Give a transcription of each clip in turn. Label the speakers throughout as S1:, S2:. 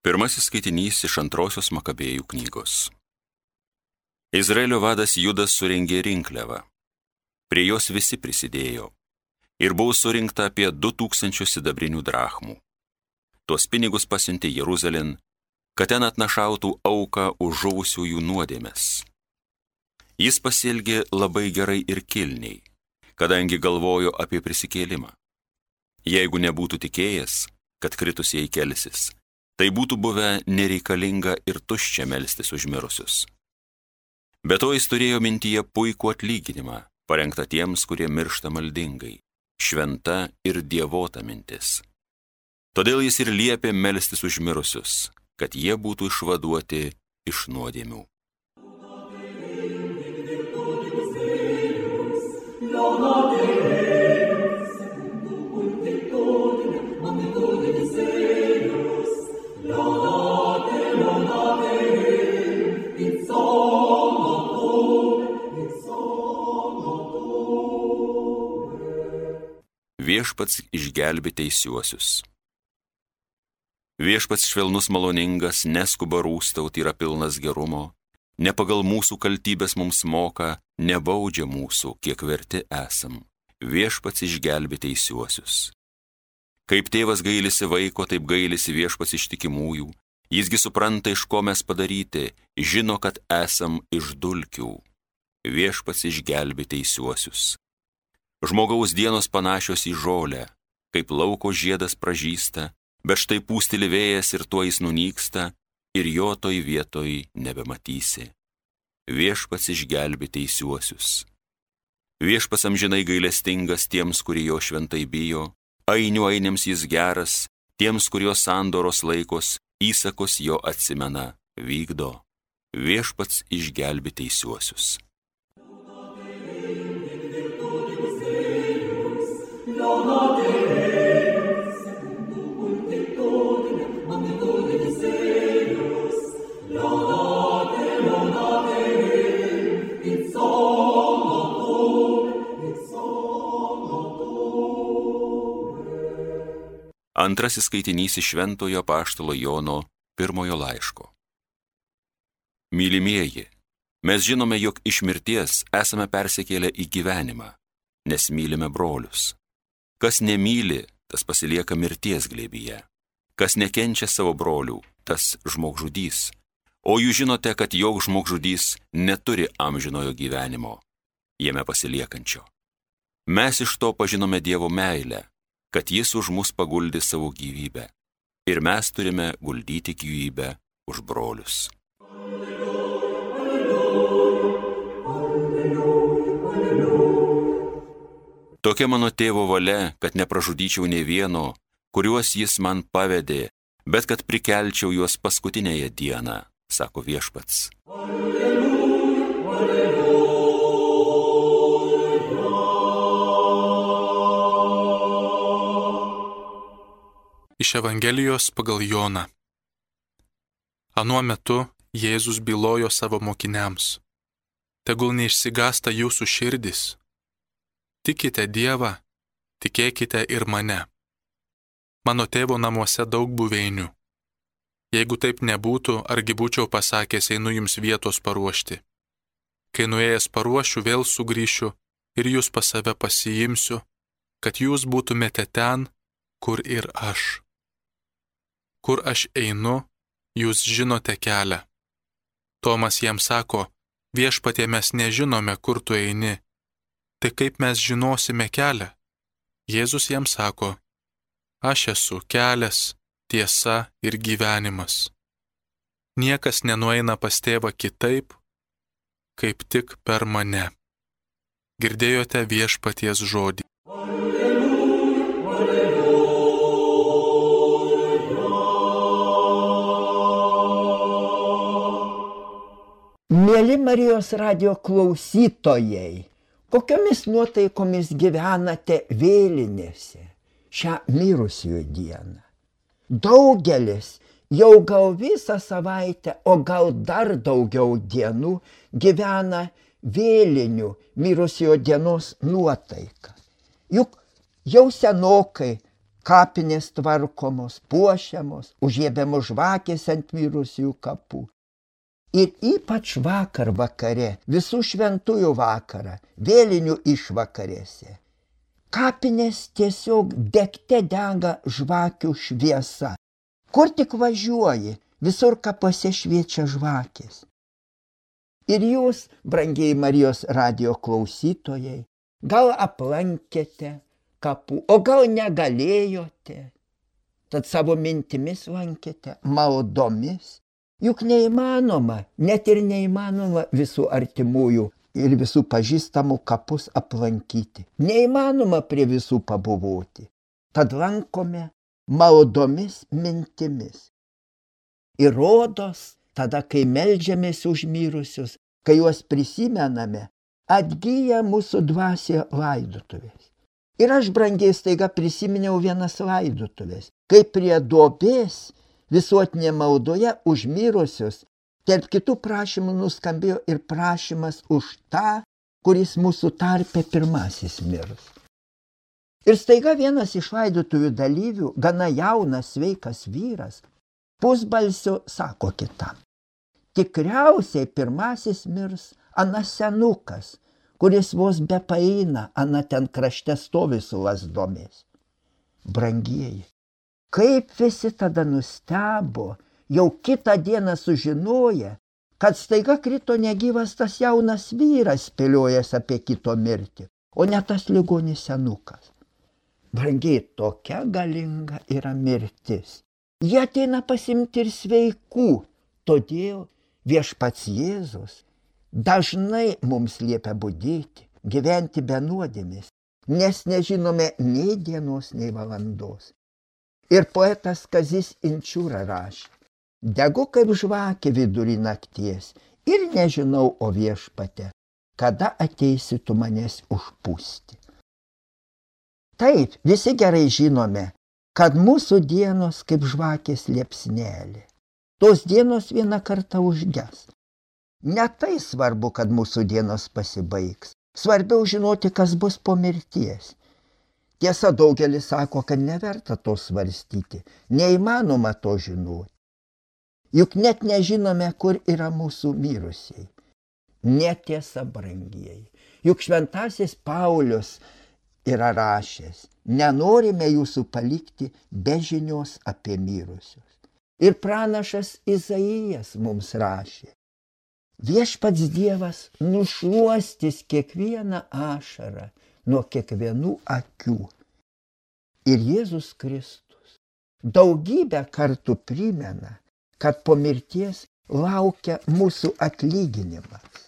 S1: Pirmasis skaitinys iš antrosios Makabėjų knygos. Izraelio vadas Judas surengė rinkliavą. Prie jos visi prisidėjo. Ir buvo surinkta apie 2000 sidabrinių drachmų. Tuos pinigus pasiuntė Jeruzalėn, kad ten atnašautų auką už žuvusiųjų nuodėmes. Jis pasielgė labai gerai ir kilniai, kadangi galvojo apie prisikėlimą. Jeigu nebūtų tikėjęs, kad kritusieji kelsis, tai būtų buvę nereikalinga ir tuščia melstis už mirusius. Be to jis turėjo mintyje puikų atlyginimą, parengtą tiems, kurie miršta maldingai, šventa ir dievota mintis. Todėl jis ir liepė melstis už mirusius, kad jie būtų išvaduoti iš nuodėmių. Viešpats išgelbė teisiuosius. Viešpats švelnus maloningas, neskuba rūstauti, yra pilnas gerumo, ne pagal mūsų kaltybės mums moka, nebaudžia mūsų, kiek verti esam. Viešpats išgelbė teisiuosius. Kaip tėvas gailisi vaiko, taip gailisi Viešpats ištikimųjų. Jisgi supranta, iš ko mes padaryti, žino, kad esam iš dulkių. Viešpats išgelbė teisiuosius. Žmogaus dienos panašios į žolę, kaip lauko žiedas pražysta, bet štai pūsteli vėjas ir tuo jis nunyksta, ir jo toj vietoj nebematysi. Viešpats išgelbė teisiuosius. Viešpats amžinai gailestingas tiems, kurie jo šventai bijo, ainių ainiams jis geras, tiems, kurio sandoros laikos, įsakos jo atsimena, vykdo. Viešpats išgelbė teisiuosius. Antrasis skaitinys iš Šventojo apaštalo Jono pirmojo laiško. Mylimieji, mes žinome, jog iš mirties esame persikėlę į gyvenimą, nes mylime brolius. Kas nemyli, tas pasilieka mirties glėbyje. Kas nekenčia savo brolių, tas žmogžudys. O jūs žinote, kad joks žmogžudys neturi amžinojo gyvenimo, jame pasiliekančio. Mes iš to pažinome Dievo meilę, kad jis už mus paguldė savo gyvybę. Ir mes turime guldyti gyvybę už brolius. Tokia mano tėvo valia, kad nepražudyčiau nei vieno, kuriuos jis man pavedė, bet kad prikelčiau juos paskutinėje dieną, sako Viešpats.
S2: Iš Evangelijos pagal Joną. Anuo metu Jėzus bylojo savo mokiniams: tegul neišsigąsta jūsų širdis. Tikite Dievą, tikėkite ir mane. Mano tėvo namuose daug buveinių. Jeigu taip nebūtų, argi būčiau pasakęs, einu jums vietos paruošti. Kai nuėjęs paruošiu, vėl sugrįšiu ir jūs pas save pasiimsiu, kad jūs būtumėte ten, kur ir aš. Kur aš einu, jūs žinote kelią. Tomas jam sako: Viešpatie, mes nežinome, kur tu eini. Tai kaip mes žinosime kelią? Jėzus jam sako: aš esu kelias, tiesa ir gyvenimas. Niekas nenueina pas tėvą kitaip, kaip tik per mane. Girdėjote Viešpaties žodį.
S3: Mieli Marijos radijo klausytojai, kokiomis nuotaikomis gyvenate vėlinėse šią mirusiųjų dieną? Daugelis jau gal visą savaitę, o gal dar daugiau dienų gyvena vėlinių mirusiojo dienos nuotaiką. Juk jau senokai Kapinės tvarkomos, puošiamos, užiebiamos žvakės ant mirusiųjų kapų. Ir ypač vakar vakare, visų šventųjų vakarą, vėlinių išvakarėse. Kapinės tiesiog degte dega žvakių šviesa. Kur tik važiuoji, visur kapuose šviečia žvakės. Ir jūs, brangieji Marijos radijo klausytojai, gal aplankėte kapų, o gal negalėjote. Tad savo mintimis lankėte, maldomis. Juk neįmanoma, net ir neįmanoma visų artimųjų ir visų pažįstamų kapus aplankyti. Neįmanoma prie visų pabuvoti. Tad lankome maldomis mintimis. Ir rodos, tada, kai meldžiamės už mirusius, kai juos prisimename, atgyja mūsų dvasia laidotuvės. Ir aš, brangiai, staiga prisiminiau vienas laidotuvės, kai prie duobės visuotinė maldoje už mirusius, tarp kitų prašymų nuskambėjo ir prašymas už tą, kuris mūsų tarpe pirmasis mirs. Ir staiga vienas iš laidotuvių dalyvių, gana jaunas, sveikas vyras, pusbalsiu sako kitam: tikriausiai pirmasis mirs anas senukas, kuris vos bepaeina, ana ten krašte stovi su lazdomis. Brangieji, kaip visi tada nustebo, jau kitą dieną sužinoję, kad staiga krito negyvas tas jaunas vyras, spėliojęs apie kito mirtį, o ne tas ligonis senukas. Brangieji, tokia galinga yra mirtis. Jie ateina pasimti ir sveikų, todėl viešpats Jėzus dažnai mums liepia budėti, gyventi be nuodėmės, nes nežinome nei dienos, nei valandos. Ir poetas Kazys Inčiūra rašė: degu kaip žvakė vidury nakties ir nežinau, o viešpate, kada ateisi tu manęs užpūsti. Taip, visi gerai žinome, kad mūsų dienos kaip žvakės liepsnelė. Tos dienos vieną kartą užges. Ne tai svarbu, kad mūsų dienos pasibaigs. Svarbiau žinoti, kas bus po mirties. Tiesa, daugelis sako, kad neverta to svarstyti. Neįmanoma to žinoti. Juk net nežinome, kur yra mūsų mirusieji. Netiesa, brangieji. Juk šventasis Paulius yra rašęs: nenorime jūsų palikti be žinios apie mirusius. Ir pranašas Izaijas mums rašė: viešpats Dievas nušluostys kiekvieną ašarą nuo kiekvienų akių. Ir Jėzus Kristus daugybę kartų primena, kad po mirties laukia mūsų atlyginimas.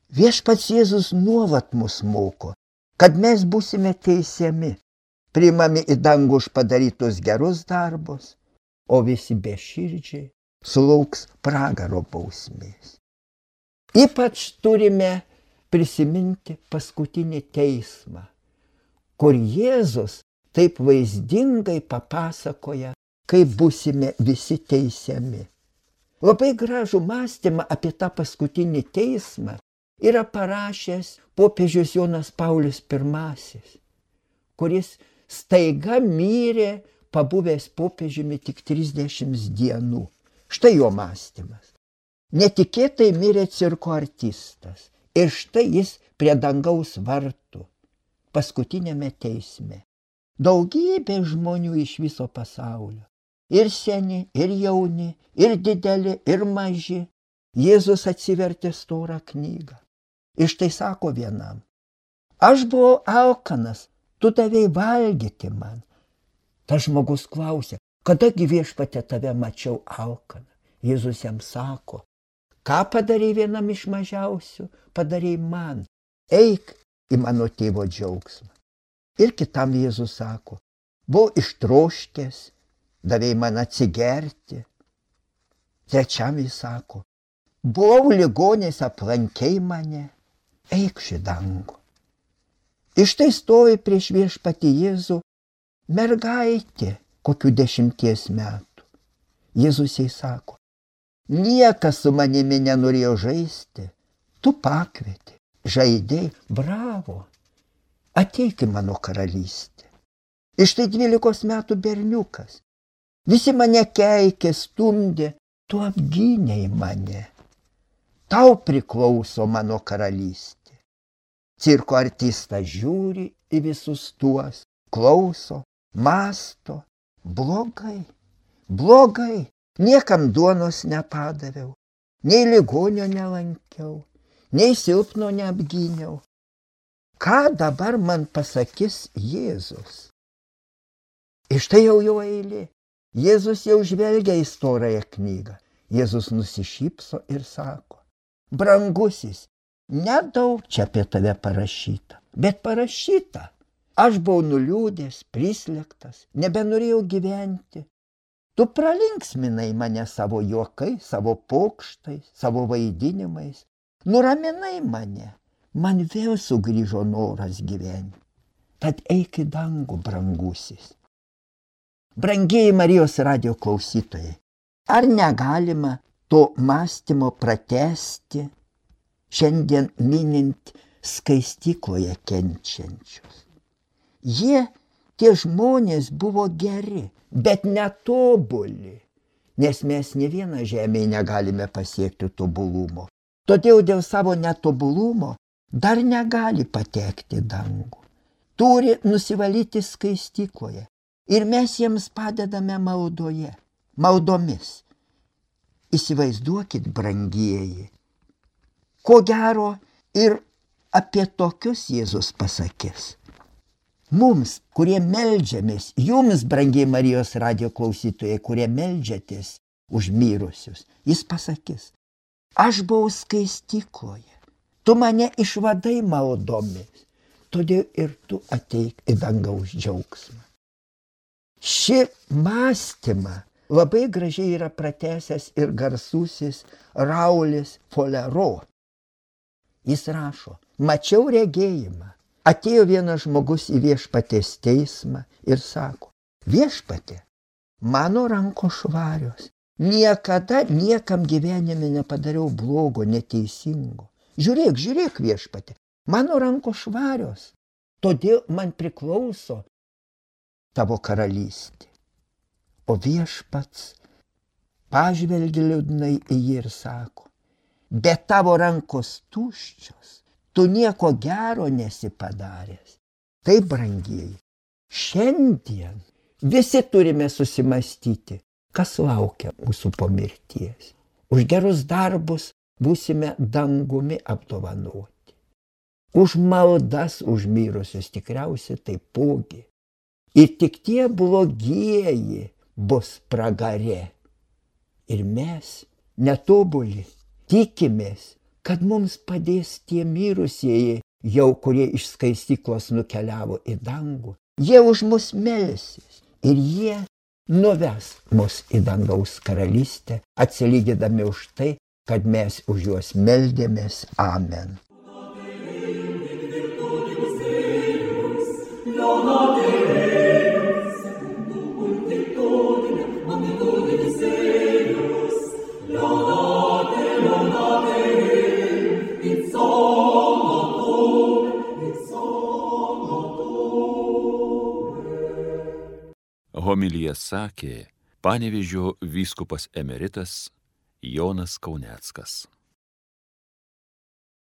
S3: Viešpats Jėzus nuolat mus moko, kad mes būsime teisiami, priimami į dangų už padarytus gerus darbus, o visi beširdžiai sulauks pragaro bausmės. Ypač turime prisiminti paskutinį teismą, kur Jėzus taip vaizdingai papasakoja, kaip būsime visi teisiami. Labai gražų mąstymą apie tą paskutinį teismą yra parašęs popiežius Jonas Paulius I, kuris staiga mirė, pabuvęs popiežiumi tik 30 dienų. Štai jo mąstymas. Netikėtai mirė cirko artistas. Ir štai jis prie dangaus vartų, paskutinėme teisme. Daugybė žmonių iš viso pasaulio. Ir seni, ir jauni, ir dideli, ir maži. Jėzus atsivertė storą knygą. Ir štai sako vienam: aš buvau alkanas, tu davei valgyti man. Tas žmogus klausė: kadagi viešpatie tave mačiau alkaną? Jėzus jam sako: ką padarei vienam iš mažiausių, padarei man. Eik į mano tėvo džiaugsmą. Ir kitam Jėzus sako: buvau ištroškęs, davei man atsigerti. Trečiam jis sako: buvau ligonis, aplankei mane. Eik į dangų. Ir štai stovi prieš viešpatį Jėzų mergaitė, kokių 10 metų. Jėzus jai sako: niekas su manimi nenorėjo žaisti, tu pakvieti, žaidei, bravo, ateik į mano karalystę. Ir štai 12 metų berniukas. Visi mane keikė, stumdė, tu apgynei mane. Tau priklauso mano karalystė. Cirko artistas žiūri į visus tuos, klauso, mąsto. Blogai, blogai, niekam duonos nepadaviau, nei ligonio nelankiau, nei silpno neapgyniau. Ką dabar man pasakys Jėzus? Ir štai jau jo eilė. Jėzus jau žvelgia į storąją knygą. Jėzus nusišypso ir sako, brangusis, nedaug čia apie tave parašyta, bet parašyta. Aš buvau nuliūdęs, prislėgtas, nebenorėjau gyventi. Tu pralinksminai mane savo juokais, savo pokštais, savo vaidinimais. Nuraminai mane. Man vėl sugrįžo noras gyventi. Tad eik į dangų, brangusis. Brangieji Marijos radijo klausytojai, ar negalima to mąstymo pratęsti, šiandien minint skaistykloje kenčiančius? Jie, tie žmonės, buvo geri, bet netobuli, nes mes ne vieną žemėje negalime pasiekti tobulumo. Todėl dėl savo netobulumo dar negali patekti į dangų. Turi nusivalyti skaistykloje ir mes jiems padedame maldomis. Įsivaizduokit, brangieji, ko gero ir apie tokius Jėzus pasakys. Mums, kurie meldžiamės, jums, brangiai Marijos radijo klausytojai, kurie meldžiatės už mirusius, jis pasakys, aš buvau skaistykloje, tu mane išvadai maldomis, todėl ir tu ateik į dangaus džiaugsmą. Ši mąstymą labai gražiai yra pratęsęs ir garsusis Raulis Folero. Jis rašo, mačiau regėjimą. Atėjo vienas žmogus į viešpaties teismą ir sako, viešpatie, mano rankos švarios, niekada niekam gyvenime nepadariau blogo, neteisingo. Žiūrėk, viešpatie, mano rankos švarios, todėl man priklauso tavo karalystė. O viešpats pažvelgia liūdnai į jį ir sako, bet tavo rankos tuščios, tu nieko gero nesi padaręs. Taip, brangieji, šiandien visi turime susimastyti, kas laukia mūsų po mirties. Už gerus darbus būsime dangumi apdovanoti. Už maldas už mirusius tikriausiai taipogi. Ir tik tie blogieji bus pragare. Ir mes, netobuli, tikimės, kad mums padės tie mirusieji, jau kurie iš skaistyklos nukeliavo į dangų. Jie už mus melsis ir jie nuves mus į dangaus karalystę, atsilygydami už tai, kad mes už juos meldėmės. Amen.
S1: Homiliją sakė Panevėžio vyskupas emeritas Jonas Kauneckas.